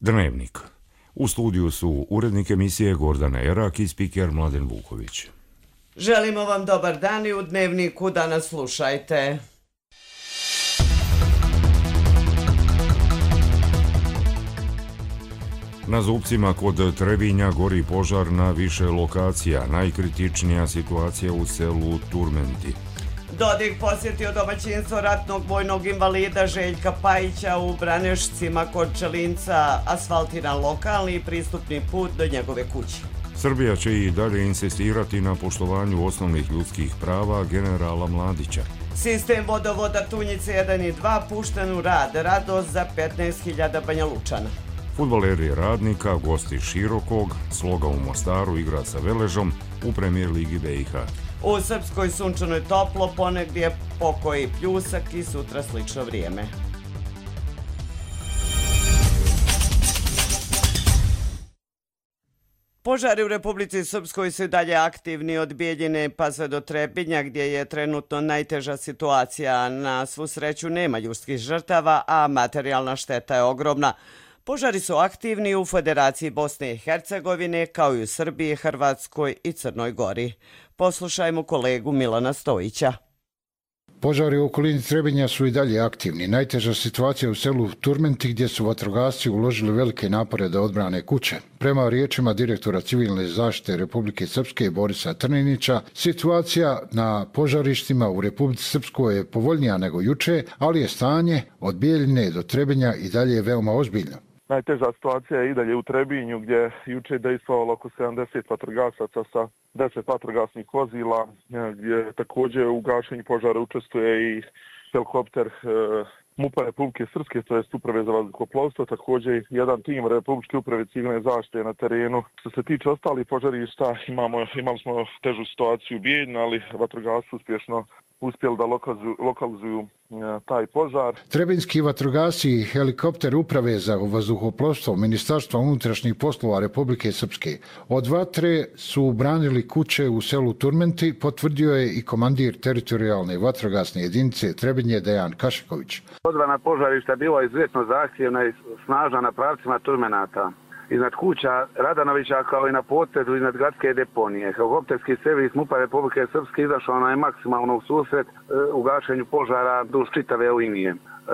Dnevnik. U studiju su urednik emisije Gordana Erak i spiker Mladen Vuković. Želimo vam dobar dan i u Dnevniku danas slušajte. Na Zupcima kod Trebinja gori požar na više lokacija. Najkritičnija situacija u selu Turmenti. Dodik posjetio domaćinstvo ratnog vojnog invalida Željka Pajića u Branešcima kod Čelinca, asfaltiran lokalni i pristupni put do njegove kuće. Srbija će i dalje insistirati na poštovanju osnovnih ljudskih prava generala Mladića. Sistem vodovoda Tunjice 1 i 2 pušten u rad, radost za 15.000 Banja Lučana. Fudbaleri Radnika, gosti Širokog, Sloga u Mostaru igra sa Veležom u Premijer Ligi BiH. U Srpskoj sunčano je toplo, ponegdje pokoji pljusak i sutra slično vrijeme. Požari u Republici Srpskoj su i dalje aktivni od Bijeljine pa sve do Trebinja, gdje je trenutno najteža situacija. Na svu sreću nema ljudskih žrtava, a materijalna šteta je ogromna. Požari su aktivni u Federaciji Bosne i Hercegovine, kao i u Srbiji, Hrvatskoj i Crnoj Gori. Poslušajmo kolegu Milana Stojića. Požari u okolini Trebinja su i dalje aktivni. Najteža situacija u selu Turmenti, gdje su vatrogasci uložili velike napore da odbrane kuće. Prema riječima direktora civilne zaštite Republike Srpske Borisa Trninića, situacija na požarištima u Republici Srpskoj je povoljnija nego juče, ali je stanje od Bijeljine do Trebinja i dalje veoma ozbiljno. Najteža situacija je i dalje u Trebinju, gdje je juče dejstvovalo oko 70 vatrogasaca sa 10 vatrogasnih vozila, gdje također u gašenju požara učestvuje i helikopter MUP-a Republike Srpske, to je Uprave za vazduhoplovstvo, također jedan tim Republičke uprave civilne zaštite na terenu. Što se tiče ostalih požarišta, imali smo težu situaciju u Bijeljini, ali vatrogasci uspješno uspjeli da lokalizuju taj požar. Trebinjski vatrogasci i helikopter Uprave za vazduhoplovstvo Ministarstva unutrašnjih poslova Republike Srpske od vatre su branili kuće u selu Turmenti, potvrdio je i komandir teritorijalne vatrogasne jedinice Trebinje Dejan Kašiković. Odbrana požarišta bila izuzetno zahtjevna i snažna na pravcima Turmenata. Iznad kuća Radanovića kao i na potezu iznad gradske deponije. Helikopterski servis MUP-a Republike Srpske izašao na maksimalno u susret u gašenju požara duž čitave linije.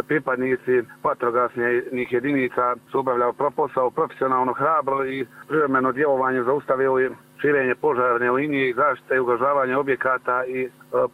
Pripadnici vatrogasnih jedinica su obavljali posao profesionalno, hrabro i privremeno djelovanje zaustavili širenje požarne linije i zaštite i ugrožavanje objekata i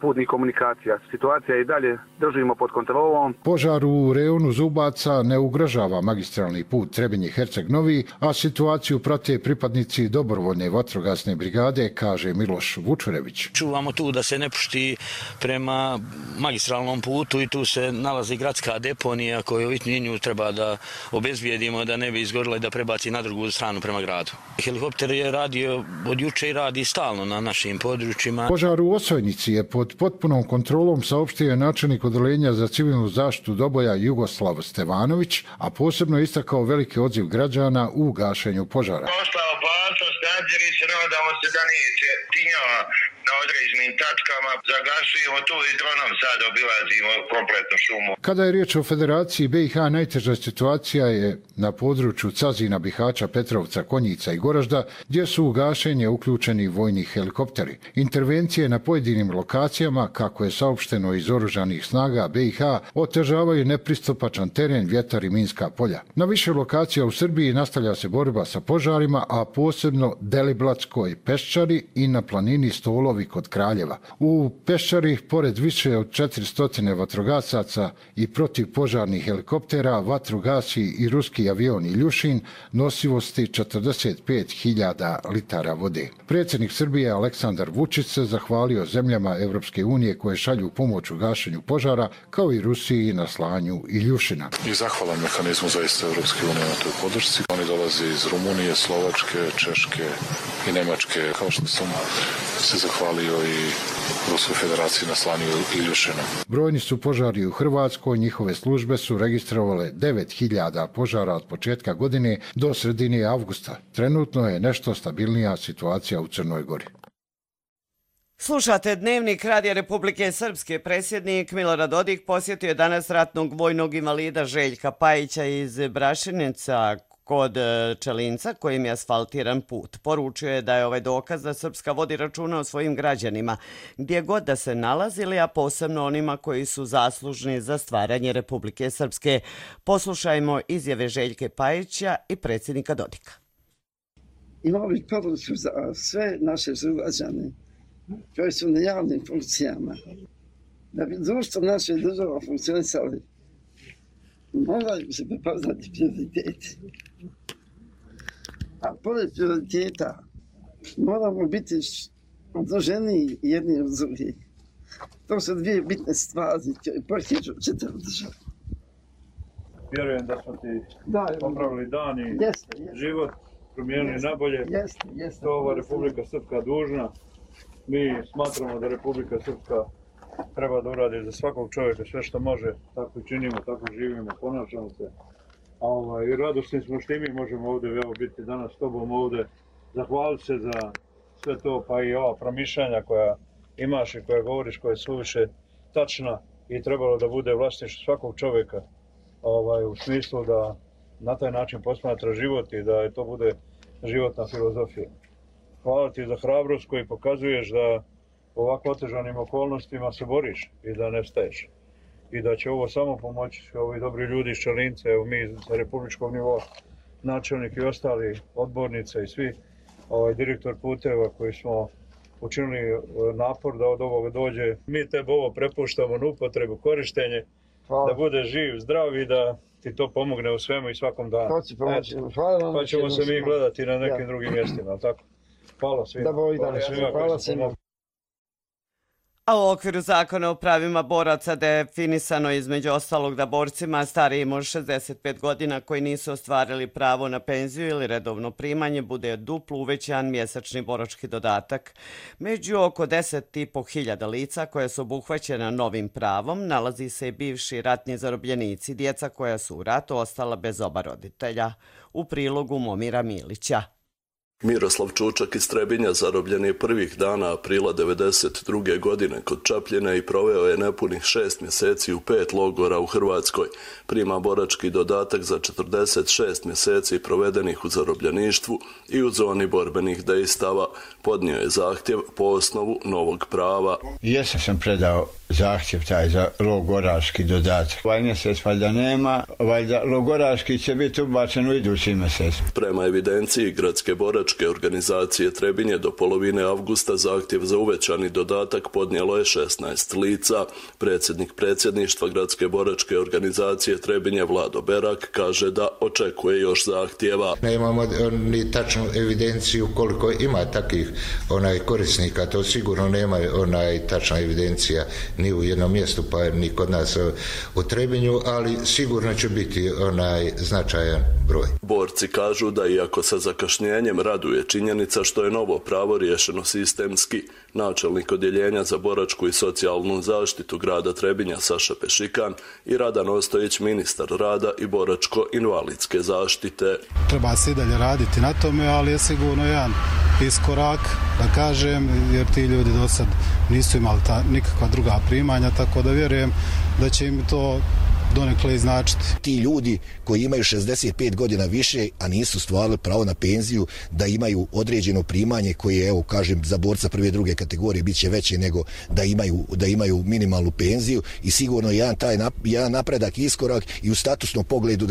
putnih komunikacija. Situacija i dalje držimo pod kontrolom. Požar u rejonu Zubaca ne ugrožava magistralni put Trebinje-Herceg-Novi, a situaciju prate pripadnici dobrovoljne vatrogasne brigade, kaže Miloš Vučurević. Čuvamo tu da se ne pušti prema magistralnom putu i tu se nalazi gradska deponija koju nju treba da obezbijedimo da ne bi izgorila i da prebaci na drugu stranu prema gradu. Helikopter je radio od juče i radi stalno na našim područjima. Požar u Osojnici je pod potpunom kontrolom, saopštio je načelnik odeljenja za civilnu zaštitu Doboja Jugoslav Stevanović, a posebno istakao veliki odziv građana u gašenju požara. Ostao opasnost, nadziri se, nadamo se da neće tinjava na određenim tačkama, zagasujemo tu i dronom sad obilazimo kompletnu šumu. Kada je riječ o Federaciji BiH, najteža situacija je na području Cazina, Bihaća, Petrovca, Konjica i Goražda, gdje su u gašenje uključeni vojni helikopteri. Intervencije na pojedinim lokacijama, kako je saopšteno iz oružanih snaga BiH, otežavaju nepristupačan teren, vjetar i minska polja. Na više lokacija u Srbiji nastavlja se borba sa požarima, a posebno Deliblatskoj Peščari i na planini Stolovi kod Kraljeva. U Peščari, pored više od 400 vatrogasaca i protivpožarnih helikoptera, vatrogasci i ruski avion Iljušin nosivosti 45.000 litara vode. Predsjednik Srbije Aleksandar Vučić se zahvalio zemljama Evropske unije koje šalju pomoć u gašenju požara, kao i Rusiji na slanju Iljušina. I zahvalan mehanizmu zaista Evropske unije na toj podršci. Oni dolaze iz Rumunije, Slovačke, Češke i Nemačke. Kao što sam se zahvalio i Ruskoj federaciji na slanju Iljušina. Brojni su požari u Hrvatskoj, njihove službe su registrovale 9.000 požara od početka godine do sredine avgusta. Trenutno je nešto stabilnija situacija u Crnoj Gori. Slušate Dnevnik Radija Republike Srpske. Predsjednik Milorad Dodik posjetio je danas ratnog vojnog invalida Željka Pajića iz Brašinica, kod Čelinca kojim je asfaltiran put. Poručio je da je ovaj dokaz da Srpska vodi računa o svojim građanima, gdje god da se nalazili, a posebno onima koji su zaslužni za stvaranje Republike Srpske. Poslušajmo izjave Željke Pajića i predsjednika Dodika. Imao bih poruču za sve naše sugrađane koji su na javnim funkcijama. Da bi društvo naše država funkcionisali, moraju se prepoznati prioriteti. A pored prioriteta moramo biti odloženiji jedni od drugih. To su dvije bitne stvari koje potiču čitavu državu. Vjerujem da smo ti popravili dan i život, promijenili nabolje. To ova Republika Srpska dužna. Mi smatramo da Republika Srpska treba da uradi za svakog čovjeka sve što može. Tako činimo, tako živimo, ponašamo se. I radosni smo što i mi možemo ovdje biti danas s tobom ovdje. Zahvaliti se za sve to, pa i ova promišljanja koja imaš i koja govoriš, koja je suviše tačna i trebalo da bude vlasništvo svakog čovjeka. U smislu da na taj način posmatra život i da to bude životna filozofija. Hvala ti za hrabrost koju pokazuješ da u ovako otežanim okolnostima se boriš i da ne staješ. I da će ovo samo pomoći ovi dobri ljudi iz Čelinca, evo mi sa republičkog nivoa, načelnik i ostali odbornice i svi, direktor puteva koji smo učinili napor da od ovoga dođe. Mi tebe ovo prepuštamo na upotrebu, korištenje, da bude živ, zdrav i da ti to pomogne u svemu i svakom danu. Pa ćemo se mi gledati na nekim drugim mjestima, tako? Hvala svima. Hvala svima. A u okviru zakona o pravima boraca definisano je između ostalog da borcima starijim od 65 godina koji nisu ostvarili pravo na penziju ili redovno primanje bude duplo uvećan mjesečni borački dodatak. Među oko 10.500 lica koja su obuhvaćena novim pravom nalazi se i bivši ratni zarobljenici, djeca koja su u ratu ostala bez oba roditelja. U prilogu Momira Milića. Miroslav Čučak iz Trebinja zarobljen je prvih dana aprila 1992. godine kod Čapljine i proveo je nepunih 6 mjeseci u 5 logora u Hrvatskoj. Prima borački dodatak za 46 mjeseci provedenih u zarobljeništvu i u zoni borbenih dejstava. Podnio je zahtjev po osnovu novog prava. Jesam sam predao zahtjev taj za logoraški dodatak. Ovaj mjesec valjda nema, valjda logoraški će biti ubačen u idući mjesec. Prema evidenciji Gradske boračke organizacije Trebinje do polovine avgusta zahtjev za uvećani dodatak podnijelo je 16 lica. Predsjednik predsjedništva Gradske boračke organizacije Trebinje Vlado Berak kaže da očekuje još zahtjeva. Nemamo ni tačnu evidenciju koliko ima takvih korisnika, to sigurno nema tačna evidencija ni u jednom mjestu, pa ni kod nas u Trebinju, ali sigurno će biti značajan broj. Borci kažu da iako sa zakašnjenjem raduje činjenica što je novo pravo riješeno sistemski, načelnik odjeljenja za boračku i socijalnu zaštitu grada Trebinja Saša Pešikan i Radan Ostojić, ministar rada i boračko-invalidske zaštite. Treba se i dalje raditi na tome, ali je sigurno jedan iskorak, da kažem, jer ti ljudi do sad nisu imali nikakva druga primanja, tako da vjerujem da će im to donekle i značiti. Ti ljudi koji imaju 65 godina više, a nisu stvarali pravo na penziju, da imaju određeno primanje koje, evo kažem, za borca prve i druge kategorije bit će veće nego da imaju minimalnu penziju i sigurno jedan napredak, iskorak i u statusnom pogledu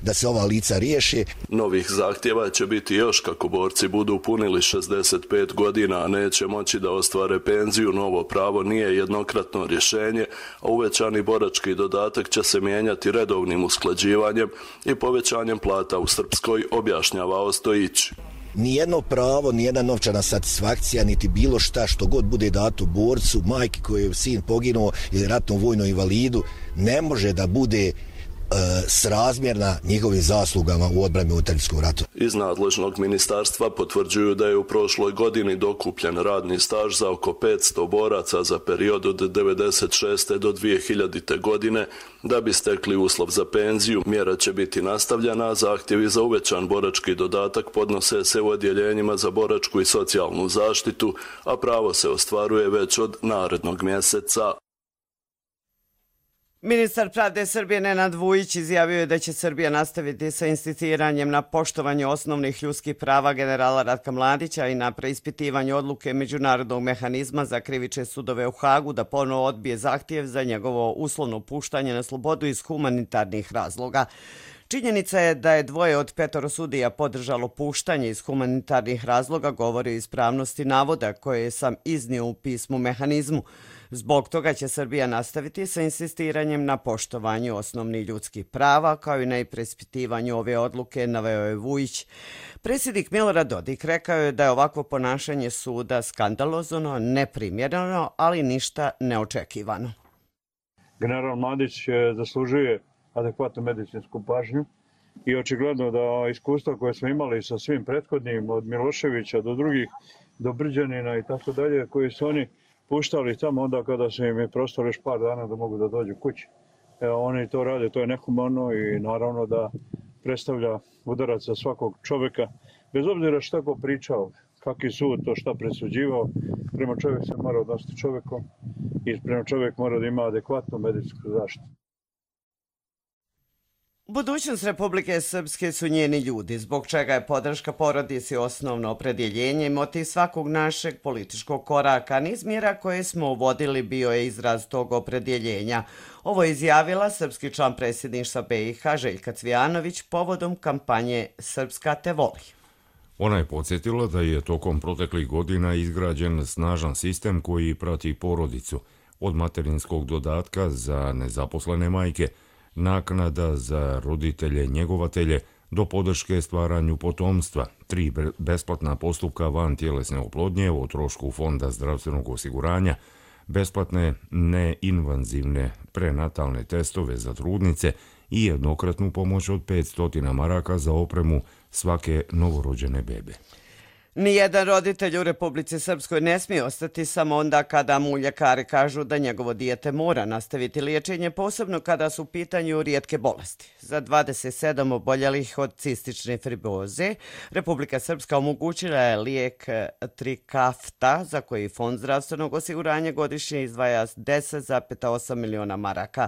da se ova lica riješe. Novih zahtjeva će biti još kako borci budu punili 65 godina, a neće moći da ostvare penziju. Novo pravo nije jednokratno rješenje, a uvećani borački dodatak će se mijenjati redovnim usklađivanjem i povećanjem plata u Srpskoj, objašnjava Ostojić. Nijedno pravo, nijedna novčana satisfakcija, niti bilo šta što god bude dato borcu, majki koji je sin poginuo ili ratnom vojnom invalidu, ne može da bude srazmjerna njihovim zaslugama u odbrani u Unutranskom ratu. Iz nadležnog ministarstva potvrđuju da je u prošloj godini dokupljen radni staž za oko 500 boraca za period od 1996. do 2000. godine. Da bi stekli uslov za penziju, mjera će biti nastavljena, a zahtjevi za uvećan borački dodatak podnose se u odjeljenjima za boračku i socijalnu zaštitu, a pravo se ostvaruje već od narednog mjeseca. Ministar pravde Srbije Nenad Vujić izjavio je da će Srbija nastaviti sa insistiranjem na poštovanju osnovnih ljudskih prava generala Ratka Mladića i na preispitivanju odluke Međunarodnog mehanizma za krivične sudove u Hagu da ponovo odbije zahtjev za njegovo uslovno puštanje na slobodu iz humanitarnih razloga. Činjenica je da je 2 od 5 sudija podržalo puštanje iz humanitarnih razloga, govori o ispravnosti navoda koje sam iznio u pismu mehanizmu. Zbog toga će Srbija nastaviti sa insistiranjem na poštovanju osnovnih ljudskih prava, kao i na preispitivanju ove odluke, naveo je Vujić. Predsjednik Milorad Dodik rekao je da je ovakvo ponašanje suda skandalozno, neprimjereno, ali ništa neočekivano. General Mladić zaslužuje adekvatnu medicinsku pažnju i očigledno da iskustva koje smo imali sa svim prethodnim, od Miloševića do drugih, do Brđanina i tako dalje, koji su oni puštali tamo onda kada su im je prostalo još par dana da mogu da dođu kući. Oni to rade, to je nehumano i naravno da predstavlja udarac za svakog čovjeka, bez obzira šta ko pričao, kakvi sud to šta presuđivao, prema čovjek se mora odnositi čovjekom i prema čovjek mora da ima adekvatnu medicinsku zaštitu. Budućnost Republike Srpske su njeni ljudi, zbog čega je podrška porodici osnovno opredjeljenje i motiv svakog našeg političkog koraka. Niz mjera koje smo uvodili bio je izraz tog opredjeljenja. Ovo je izjavila srpski član predsjedništva BiH Željka Cvijanović povodom kampanje Srpska te voli. Ona je podsjetila da je tokom proteklih godina izgrađen snažan sistem koji prati porodicu, od materinskog dodatka za nezaposlene majke, naknada za roditelje njegovatelje do podrške stvaranju potomstva, 3 besplatna postupka van tjelesne oplodnje o trošku Fonda zdravstvenog osiguranja, besplatne neinvazivne prenatalne testove za trudnice i jednokratnu pomoć od 500 maraka za opremu svake novorođene bebe. Nijedan roditelj u Republici Srpskoj ne smije ostati samo onda kada mu ljekari kažu da njegovo dijete mora nastaviti liječenje, posebno kada su u pitanju rijetke bolesti. Za 27 oboljelih od cistične fibroze, Republika Srpska omogućila je lijek Trikafta, za koji Fond zdravstvenog osiguranja godišnje izdvaja 10,8 miliona maraka.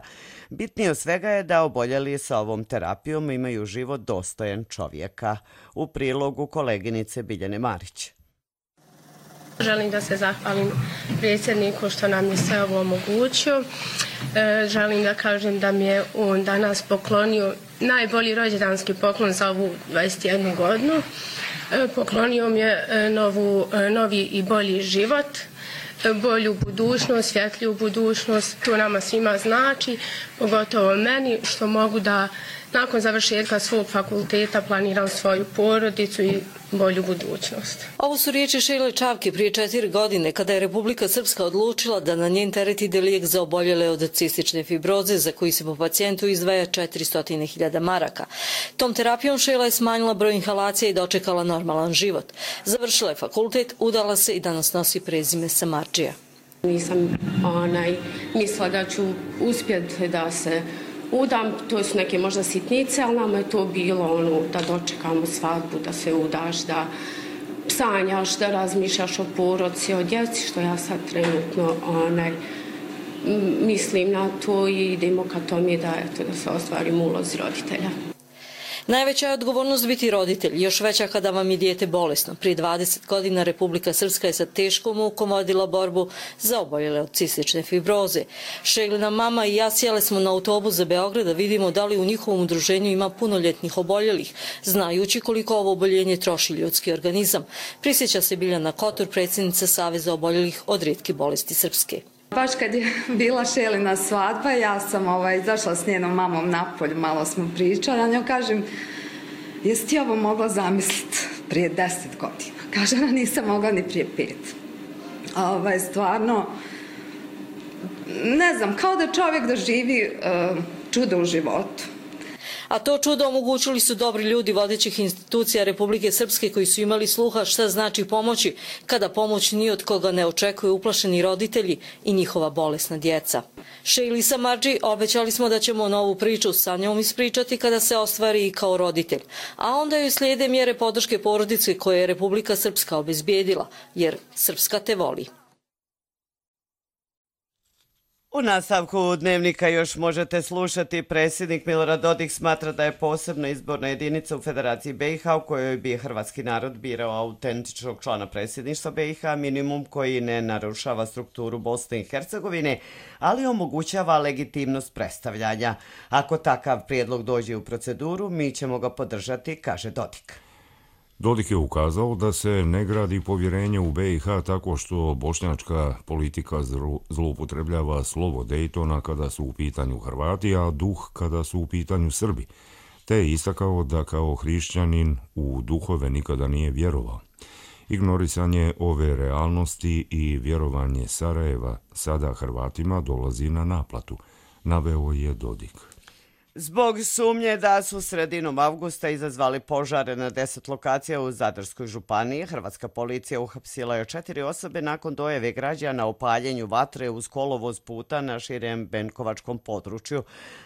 Bitnije od svega je da oboljeli sa ovom terapijom imaju život dostojan čovjeka. U prilogu koleginice Biljane Marić. Želim da se zahvalim predsjedniku što nam je sve ovo omogućio. Želim da kažem da mi je on danas poklonio najbolji rođendanski poklon za ovu 21 godinu. Poklonio mi je novi i bolji život, bolju budućnost, svjetliju budućnost. To nama svima znači, pogotovo meni, što mogu da nakon završetka svog fakulteta planiram svoju porodicu i bolju budućnost. Ovo su riječi Šejle Čavke prije 4 godine kada je Republika Srpska odlučila da na njen teret ide lijek za oboljele od cistične fibroze za koji se po pacijentu izdvaja 400.000 maraka. Tom terapijom Šejla je smanjila broj inhalacija i dočekala normalan život. Završila je fakultet, udala se i danas nosi prezime Samardžija. Nisam mislila da ću uspjeti da se udam, to su neke možda sitnice, ali nama je to bilo da dočekamo svadbu, da se udaš, da sanjaš, da razmišljaš o porodici, o djeci, što ja sad trenutno mislim na to i idemo ka tome da se ostvarim ulozi roditelja. Najveća je odgovornost biti roditelj, još veća kada vam je dijete bolesno. Prije 20 godina Republika Srpska je sa teškom mukom vodila borbu za oboljele od cistične fibroze. Šejlina mama i ja sjele smo na autobus za Beograd da vidimo da li u njihovom udruženju ima punoljetnih oboljelih, znajući koliko ovo oboljenje troši ljudski organizam. Prisjeća se Biljana Kotor, predsjednica Saveza oboljelih od rijetkih bolesti Srpske. Baš kad je bila Šejlina svadba, ja sam izašla s njenom mamom napolje, malo smo pričali, a njoj kažem, jesi ti ovo mogla zamisliti prije 10 godina? Kaže, nisam mogla ni prije 5. Stvarno, ne znam, kao da čovjek doživi čudo u životu. A to čudo omogućili su dobri ljudi vodećih institucija Republike Srpske koji su imali sluha šta znači pomoći kada pomoć ni od koga ne očekuju uplašeni roditelji i njihova bolesna djeca. Šejli Samardži obećali smo da ćemo novu priču sa njom ispričati kada se ostvari i kao roditelj, a onda joj slijede mjere podrške porodice koje je Republika Srpska obezbijedila, jer Srpska te voli. U nastavku Dnevnika još možete slušati. Predsjednik Milorad Dodik smatra da je posebna izborna jedinica u Federaciji BiH u kojoj bi hrvatski narod birao autentičnog člana predsjedništva BiH, minimum koji ne narušava strukturu Bosne i Hercegovine, ali omogućava legitimnost predstavljanja. Ako takav prijedlog dođe u proceduru, mi ćemo ga podržati, kaže Dodik. Dodik je ukazao da se ne gradi povjerenje u BiH tako što bošnjačka politika zloupotrebljava slovo Dejtona kada su u pitanju Hrvati, a duh kada su u pitanju Srbi, te je istakao da kao hrišćanin u duhove nikada nije vjerovao. Ignorisanje ove realnosti i vjerovanje Sarajeva sada Hrvatima dolazi na naplatu, naveo je Dodik. Zbog sumnje da su sredinom avgusta izazvali požare na 10 lokacija u Zadarskoj županiji, hrvatska policija uhapsila je 4 osobe nakon dojave građana o paljenju vatre uz kolovoz puta na širem benkovačkom području.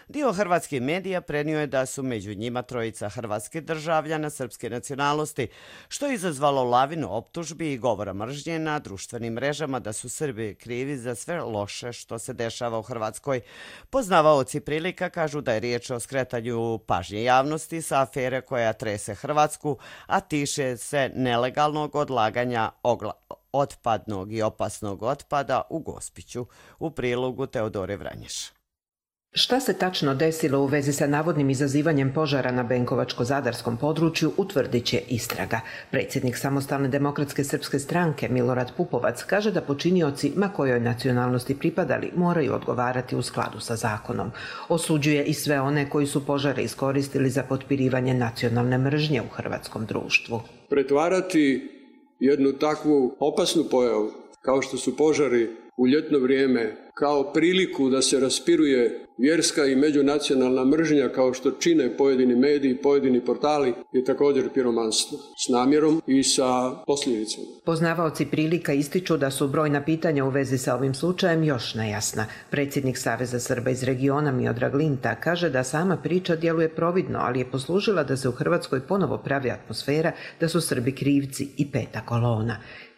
Dio hrvatskih medija prenio je da su među njima trojica hrvatskih državljana srpske nacionalnosti, što je izazvalo lavinu optužbi i govora mržnje na društvenim mrežama da su Srbi krivi za sve loše što se dešava u Hrvatskoj. Poznavaoci prilika kažu da je riječ o skretanju pažnje javnosti sa afere koja trese Hrvatsku, a tiče se nelegalnog odlaganja otpadnog i opasnog otpada u Gospiću. U prilogu Teodore Vranješ. Šta se tačno desilo u vezi sa navodnim izazivanjem požara na Benkovačko-Zadarskom području utvrdit će istraga. Predsjednik Samostalne demokratske srpske stranke Milorad Pupovac kaže da počinioci, ma kojoj nacionalnosti pripadali, moraju odgovarati u skladu sa zakonom. Osuđuje i sve one koji su požare iskoristili za potpirivanje nacionalne mržnje u hrvatskom društvu. Pretvarati jednu takvu opasnu pojavu kao što su požari u ljetno vrijeme kao priliku da se raspiruje vjerska i međunacionalna mržnja kao što čine pojedini mediji, pojedini portali je također piromanstvo s namjerom i sa posljedicama. Poznavaoci prilika ističu da su brojna pitanja u vezi sa ovim slučajem još nejasna. Predsjednik Saveza Srba iz regiona Miodrag Linta kaže da sama priča djeluje providno, ali je poslužila da se u Hrvatskoj ponovo pravi atmosfera da su Srbi krivci i peta kolona.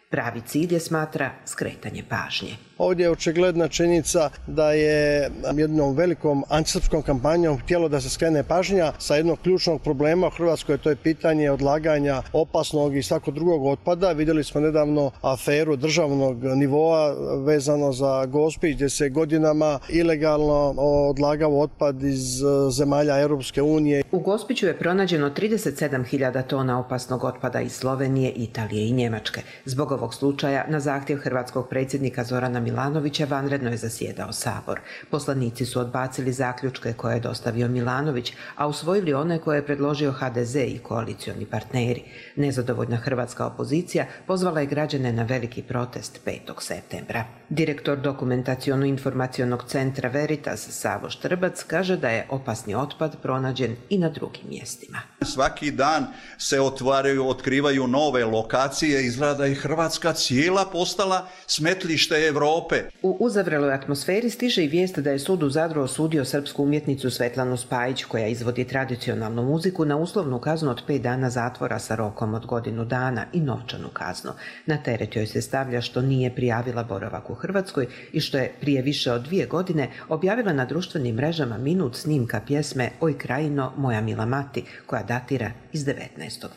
Pravi cilj je, smatra, skretanje pažnje. Ovdje je očigledna činjenica da je jednom velikom antisrpskom kampanjom htjelo da se skrene pažnja sa jednog ključnog problema u Hrvatskoj, to je pitanje odlaganja opasnog i svakog drugog otpada. Vidjeli smo nedavno aferu državnog nivoa vezano za Gospić gdje se godinama ilegalno odlagao otpad iz zemalja Europske unije. U Gospiću je pronađeno 37.000 tona opasnog otpada iz Slovenije, Italije i Njemačke. Zbog ovog slučaja na zahtjev hrvatskog predsjednika Zorana Milanovića vanredno je zasjedao Sabor. Poslanici su odbacili zaključke koje je dostavio Milanović, a usvojili one koje je predložio HDZ i koalicioni partneri. Nezadovoljna hrvatska opozicija pozvala je građane na veliki protest 5. septembra. Direktor Dokumentaciono-informacionog centra Veritas Savo Štrbac kaže da je opasni otpad pronađen i na drugim mjestima. Svaki dan se otkrivaju nove lokacije, izgleda i Hrvatska cijela postala smetlište Evrope. U uzavreloj atmosferi stiže i vijest da je sud u Zadru osudio srpsku umjetnicu Svetlanu Spajić, koja izvodi tradicionalnu muziku, na uslovnu kaznu od 5 dana zatvora sa rokom od godinu dana i novčanu kaznu. Na teret joj se stavlja što nije prijavila boravak u Hrvatskoj i što je prije više od 2 godine objavila na društvenim mrežama minut snimka pjesme Oj krajino, moja mila mati, koja datira iz 19.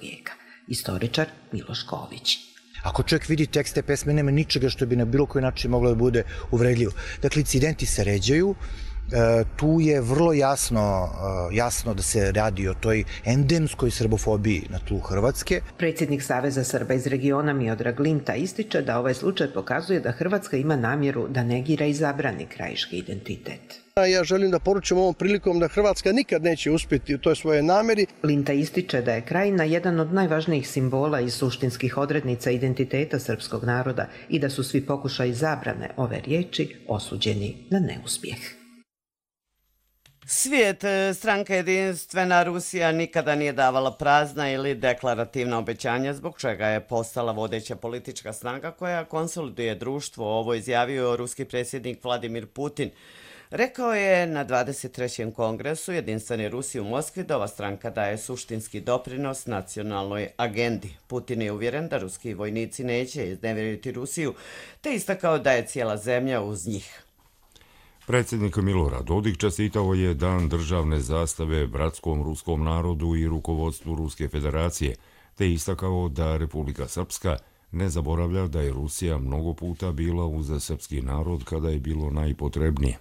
vijeka. Istoričar Miloš Ković. Ako čovjek vidi tekst te pesme, nema ničega što bi na bilo koji način moglo da bude uvredljivo. Dakle, incidenti se ređaju, tu je vrlo jasno da se radi o toj endemskoj srbofobiji na tlu Hrvatske. Predsjednik Saveza Srba iz regiona Miodrag Linta ističe da ovaj slučaj pokazuje da Hrvatska ima namjeru da negira i zabrani krajiški identitet. Ja želim da poručim ovom prilikom da Hrvatska nikad neće uspjeti u toj svojoj namjeri. Linta ističe da je krajina jedan od najvažnijih simbola i suštinskih odrednica identiteta srpskog naroda i da su svi pokušaji zabrane ove riječi osuđeni na neuspjeh. Svijet, stranka Jedinstvena Rusija nikada nije davala prazna ili deklarativna obećanja, zbog čega je postala vodeća politička snaga koja konsoliduje društvo. Ovo izjavio ruski predsjednik Vladimir Putin. Rekao je na 23. kongresu Jedinstvene Rusije u Moskvi da ova stranka daje suštinski doprinos nacionalnoj agendi. Putin je uvjeren da ruski vojnici neće iznevjeriti Rusiju, te istakao da je cijela zemlja uz njih. Predsjednik Milorad Dodik čestitao je Dan državne zastave bratskom ruskom narodu i rukovodstvu Ruske federacije, te istakao da Republika Srpska ne zaboravlja da je Rusija mnogo puta bila uz srpski narod kada je bilo najpotrebnije.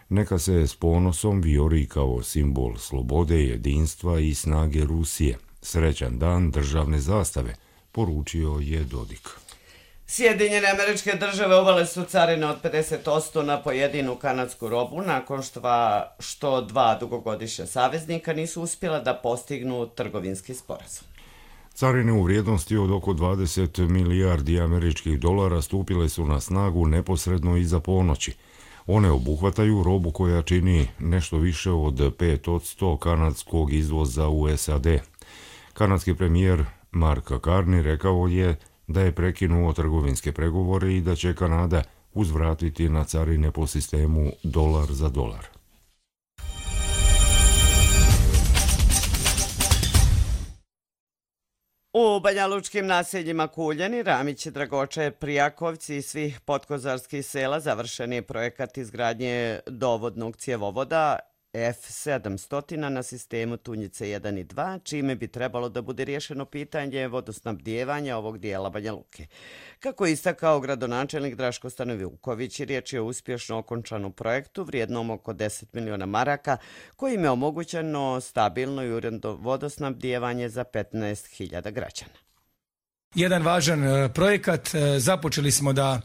Neka se s ponosom vijori kao simbol slobode, jedinstva i snage Rusije. Srećan dan državne zastave, poručio je Dodik. Sjedinjene Američke Države uvele su carine od 50% na pojedinu kanadsku robu nakon što dva dugogodišnja saveznika nisu uspjela da postignu trgovinski sporazum. Carine u vrijednosti od oko 20 milijardi američkih dolara stupile su na snagu neposredno iza ponoći. One obuhvataju robu koja čini nešto više od 5% kanadskog izvoza u SAD. Kanadski premijer Mark Carney rekao je da je prekinuo trgovinske pregovore i da će Kanada uzvratiti na carine po sistemu dolar za dolar. U banjalučkim naseljima Kuljani, Ramići, Dragoče, Prijakovci i svih podkozarskih sela završen je projekat izgradnje dovodnog cjevovoda F700 na sistemu Tunjice 1 i 2, čime bi trebalo da bude riješeno pitanje vodosnabdijevanja ovog dijela Banja Luke. Kako je istakao gradonačelnik Draško Stanovuković, riječ je o uspješno okončanom projektu vrijednom oko 10 miliona maraka, kojim je omogućeno stabilno i uredno vodosnabdijevanje za 15.000 građana. Jedan važan projekat, započeli smo da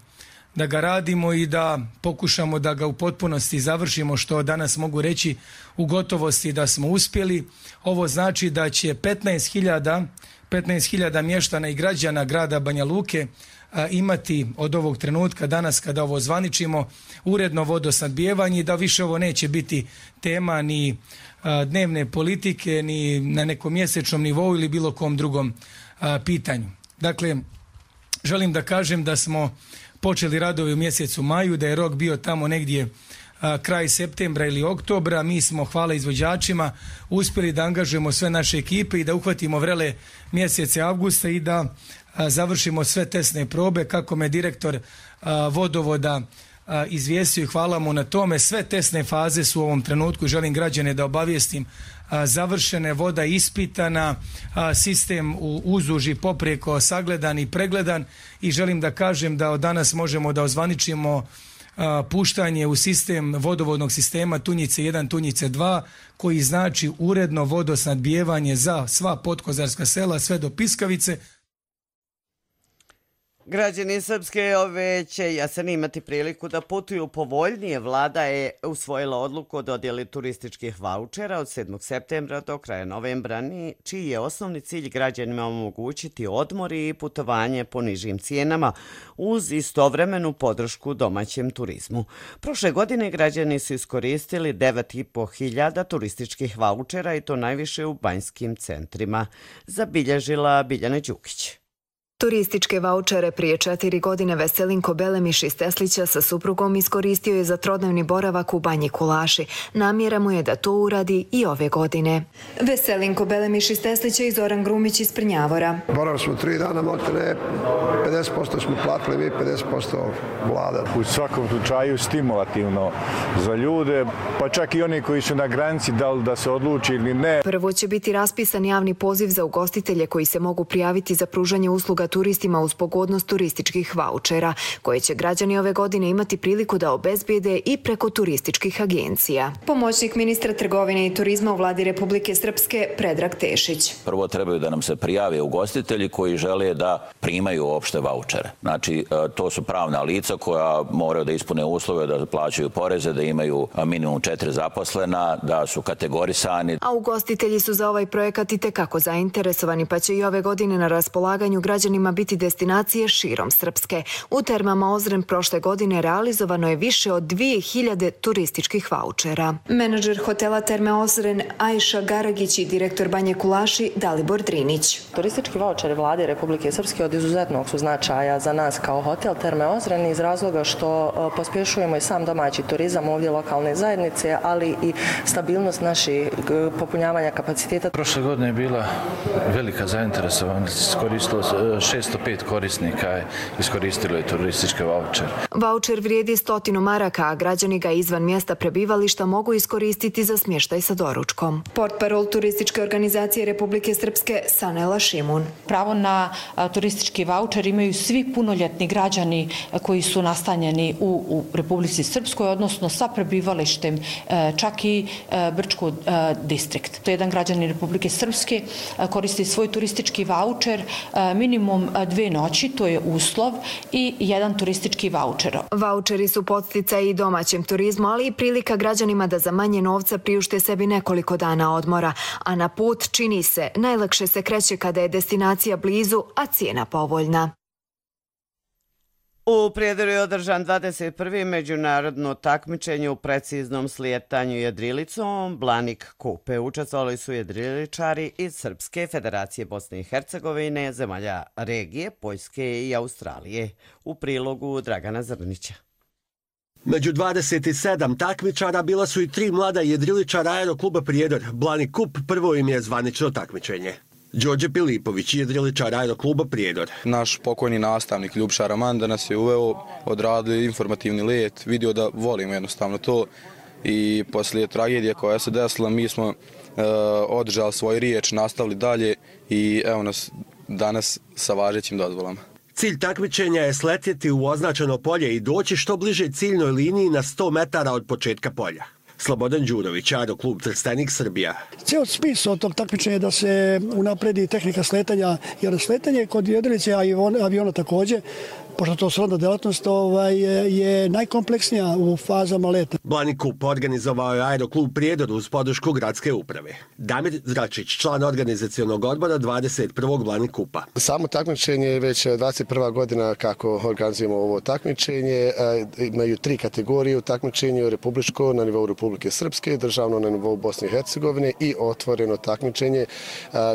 ga radimo i da pokušamo da ga u potpunosti završimo, što danas mogu reći u gotovosti da smo uspjeli. Ovo znači da će 15.000 mještana i građana grada Banja Luke imati od ovog trenutka danas kada ovo zvaničimo uredno vodosnabdijevanje i da više ovo neće biti tema ni dnevne politike ni na nekom mjesečnom nivou ili bilo kom drugom pitanju. Dakle, želim da kažem da smo počeli radovi u mjesecu maju, da je rok bio tamo negdje kraj septembra ili oktobra. Mi smo, hvala izvođačima, uspjeli da angažujemo sve naše ekipe i da uhvatimo vrele mjesece avgusta i da završimo sve testne probe. Kako me direktor vodovoda izvijestio i hvala mu na tome, sve testne faze su u ovom trenutku, želim građane da obavijestim, završene, voda ispitana, sistem uzduž i poprijeko sagledan i pregledan i želim da kažem da od danas možemo da ozvaničimo puštanje u sistem vodovodnog sistema Tunjice 1, Tunjice 2, koji znači uredno vodosnabdijevanje za sva podkozarska sela sve do Piskavice. Građani Srpske ove će jesen imati priliku da putuju povoljnije. Vlada je usvojila odluku o dodjeli turističkih vaučera od 7. septembra do kraja novembra, čiji je osnovni cilj građanima omogućiti odmor i putovanje po nižim cijenama uz istovremenu podršku domaćem turizmu. Prošle godine građani su iskoristili 9.500 turističkih vaučera i to najviše u banjskim centrima, zabilježila Biljana Đukić. Turističke vaučere prije 4 godine Veselinko Belemiš iz Teslića sa suprugom iskoristio je za trodnevni boravak u Banji Kulaši. Namjera mu je da to uradi i ove godine. Veselinko Belemiš iz Teslića i Zoran Grumić iz Prnjavora. Boravili smo 3 dana, maltene 50% smo platili, mi 50% vlada. U svakom slučaju stimulativno za ljude, pa čak i oni koji su na granici, da li da se odluči ili ne. Prvo će biti raspisan javni poziv za ugostitelje koji se mogu prijaviti za pružanje usluga turistima uz pogodnost turističkih vaučera, koje će građani ove godine imati priliku da obezbijede i preko turističkih agencija. Pomoćnik ministra trgovine i turizma u vladi Republike Srpske Predrag Tešić. Prvo trebaju da nam se prijave ugostitelji koji žele da primaju opšte vaučere. Znači, to su pravna lica koja moraju da ispune uslove, da plaćaju poreze, da imaju minimum 4 zaposlena, da su kategorisani. A ugostitelji su za ovaj projekat i tekako zainteresovani, pa će i ove godine na raspolaganju građanima biti destinacije širom Srpske. U termama Ozren prošle godine realizovano je više od 2000 turističkih vaučera. Menadžer hotela Terme Ozren Ajša Garagić i direktor Banje Kulaši Dalibor Drinić. Turistički vaučeri vlade Republike Srpske od izuzetnog su značaja za nas kao hotel Terme Ozren iz razloga što pospješujemo i sam domaći turizam ovdje lokalne zajednice, ali i stabilnost naših popunjavanja kapaciteta. Prošle godine je bila velika zainteresovanost, koristilo 605 korisnika je iskoristilo turističke vaučere. Vaučer vrijedi 100 maraka, a građani ga izvan mjesta prebivališta mogu iskoristiti za smještaj sa doručkom. Portparol turističke organizacije Republike Srpske Sanela Šimun. Pravo na turistički vaučer imaju svi punoljetni građani koji su nastanjeni u Republici Srpskoj, odnosno sa prebivalištem čak i Brčko distrikt. To je jedan građanin Republike Srpske koristi svoj turistički vaučer minimum 2 noći, to je uslov, i 1 turistički vaučer. Vaučeri su podsticaj i domaćem turizmu, ali i prilika građanima da za manje novca priušte sebi nekoliko dana odmora, a na put, čini se, najlakše se kreće kada je destinacija blizu, a cijena povoljna. U Prijedoru je održan 21. međunarodno takmičenje u preciznom slijetanju jedrilicom Blanik Kupe. Učestvovali su jedriličari iz Srpske, Federacije Bosne i Hercegovine, zemalja regije, Poljske i Australije. U prilogu Dragana Zrnića. Među 27 takmičara bila su i 3 mlada jedriličara Aerokluba Prijedor. Blanik Kup prvo im je zvanično takmičenje. Đorđe Pilipović, jedriličar Aerokluba Prijedor. Naš pokojni nastavnik Ljubša Raman da nas je uveo, odradili informativni let, vidio da volimo jednostavno to i poslije tragedije koja se desila mi smo održali svoj riječ, nastavili dalje i evo nas danas sa važećim dozvolama. Cilj takmičenja je sletjeti u označeno polje i doći što bliže ciljnoj liniji na 100 metara od početka polja. Slobodan Đurović, Aeroklub Trstenik, Srbija. Cijel smisao tog takmičenja je da se unapredi tehnika sletanja, jer sletanje kod jedrilice, a i aviona također, pošto to srodna delatnost, je najkompleksnija u fazama leta. Blanik Kup organizovao je Aeroklub Prijedor uz podršku gradske uprave. Damir Zračić, član organizacionog odbora 21. Blanik Kupa. Samo takmičenje je već 21. godina kako organizujemo ovo takmičenje. Imaju 3 kategorije u takmičenju: republičko na nivou Republike Srpske, državno na nivou Bosne i Hercegovine i otvoreno takmičenje,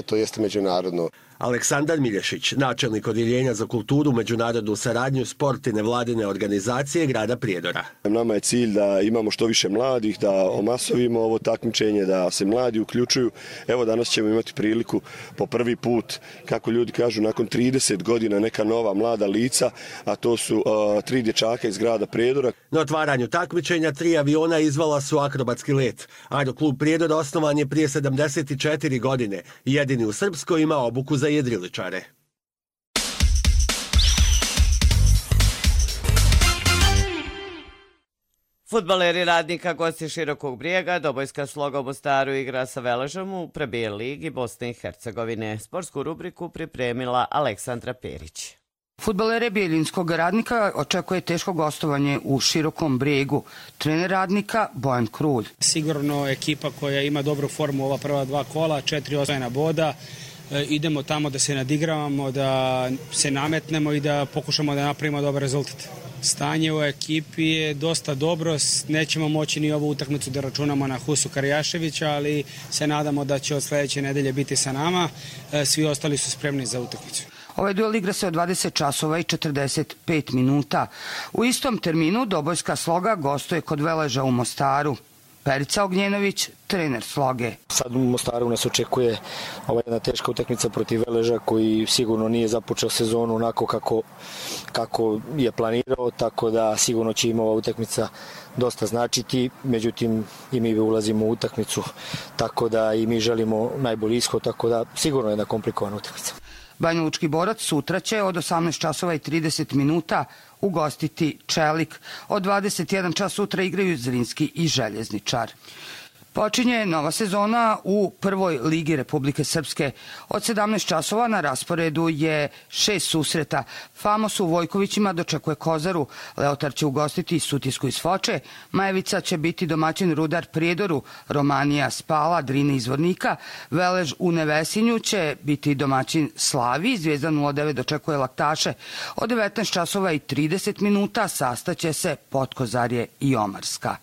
to jeste međunarodno. Aleksandar Milješić, načelnik odjeljenja za kulturu, međunarodnu saradnju, sport i nevladine organizacije grada Prijedora. Nama je cilj da imamo što više mladih, da omasovimo ovo takmičenje, da se mladi uključuju. Evo danas ćemo imati priliku po prvi put, kako ljudi kažu, nakon 30 godina neka nova mlada lica, a to su 3 dječaka iz grada Prijedora. Na otvaranju takmičenja 3 aviona izvala su akrobatski let. Aeroklub Prijedor osnovan je prije 74 godine. Jedini u Srpskoj ima obuku za jedriličare. Fudbaleri Radnika, gosti Širokog Brijega, Dobojska Sloga u Mostaru igra sa Veležom u Premier ligi Bosne i Hercegovine. Sportsku rubriku pripremila Aleksandra Perić. Fudbalere Bijeljinskog Radnika očekuje teško gostovanje u Širokom Brijegu. Trener Radnika Bojan Krulj. Sigurno ekipa koja ima dobru formu ova prva 2 kola, 4 osvojena boda. Idemo tamo da se nadigravamo, da se nametnemo i da pokušamo da napravimo dobar rezultat. Stanje u ekipi je dosta dobro, nećemo moći ni ovu utakmicu da računamo na Husu Karjaševića, ali se nadamo da će od sljedeće nedelje biti sa nama. Svi ostali su spremni za utakmicu. Ovaj duel igra se od 20 časova i 45 minuta. U istom terminu Dobojska Sloga gostuje kod Veleža u Mostaru. Perica Ognjenović, trener Sloge. Sad u Mostaru nas očekuje jedna teška utakmica protiv Veleža koji sigurno nije započeo sezonu onako kako je planirao, tako da sigurno će im ova utakmica dosta značiti, međutim i mi ulazimo u utakmicu, tako da i mi želimo najbolji ishod, tako da sigurno je jedna komplikovana utakmica. Banjalučki Borac sutra će od 18 časova i 30 minuta ugostiti Čelik. Od 21 čas sutra igraju Zrinski i Željezničar. Počinje nova sezona u prvoj ligi Republike Srpske. Od 17 časova na rasporedu je 6 susreta. Famos u Vojkovićima dočekuje Kozaru, Leotar će ugostiti Sutjesku iz Foče, Majevica će biti domaćin Rudar Prijedoru, Romanija Spala, Drine iz Vornika, Velež u Nevesinju će biti domaćin Slavi, Zvijezda 09 dočekuje Laktaše. Od 19 časova i 30 minuta sastaće se Potkozarje i Omarska.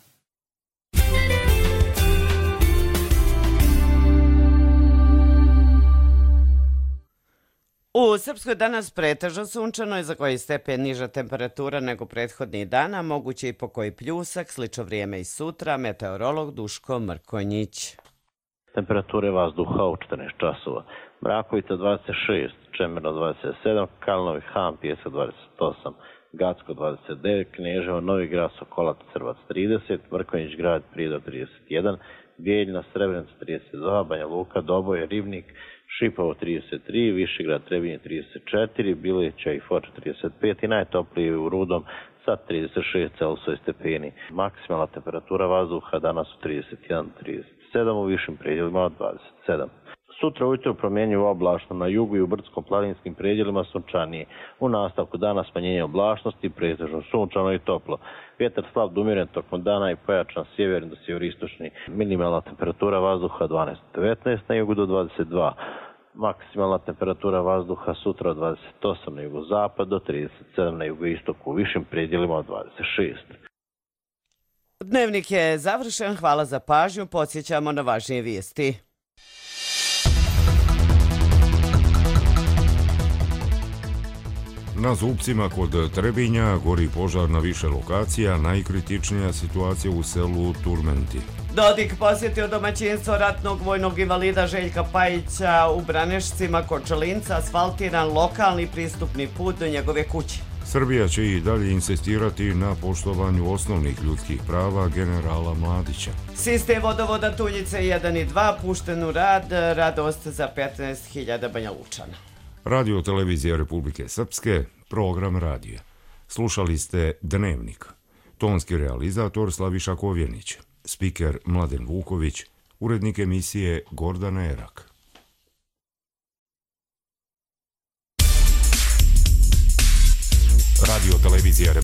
U Srpskoj danas pretežno sunčano i za koji stepen niža temperatura nego prethodnih dana, moguće i po koji pljusak, slično vrijeme i sutra, meteorolog Duško Mrkonjić. Temperature vazduha u 14 časova. Mrakovica 26, Čemerno 27, Kalnovi Han, Pijesak 28, Gacko 29, Kneževo, Novi Grad, Sokolac, Crvac 30, Mrkonjić Grad, Prijedor 31, Bijeljina, Srebrenica 32, Banja Luka, Doboj, Ribnik, Šipovo 33, Višegrad, Trebinje 34, Bilića i Foča 35 i najtopliji u Rudom sa 36 Celsius stepeni. Maksimalna temperatura vazduha danas u 31-37, u višim predjelima od 27. Sutra ujutro promjenjivo oblačno, na jugu i u brdsko-planinskim predjelima sunčanije. U nastavku dana smanjenje oblačnosti, pretežno sunčano i toplo. Vjetar slab do umjeren tokom dana i pojačan sjeverni do sjeveristočni. Minimalna temperatura vazduha 12-19, na jugu do 22. Maksimalna temperatura vazduha sutra od 28 na jugozapad do 37 na jugoistoku, u višim predjelima od 26. Dnevnik je završen, hvala za pažnju, podsjećamo na važnije vijesti. Na Zupcima kod Trebinja gori požar na više lokacija, najkritičnija situacija u selu Turmenti. Dodik posjetio domaćinstvo ratnog vojnog invalida Željka Pajića u Branešcima kod Čelinca, asfaltiran lokalni pristupni put do njegove kuće. Srbija će i dalje insistirati na poštovanju osnovnih ljudskih prava generala Mladića. Sistem vodovoda Tuljice 1 i 2 pušten u rad, radost za 15.000 Banja Lučana. Radio Televizija Republike Srpske, program radija. Slušali ste Dnevnik. Tonski realizator Slaviša Kovjenić, spiker Mladen Vuković, urednik emisije Gordana Erak. Radio Televizija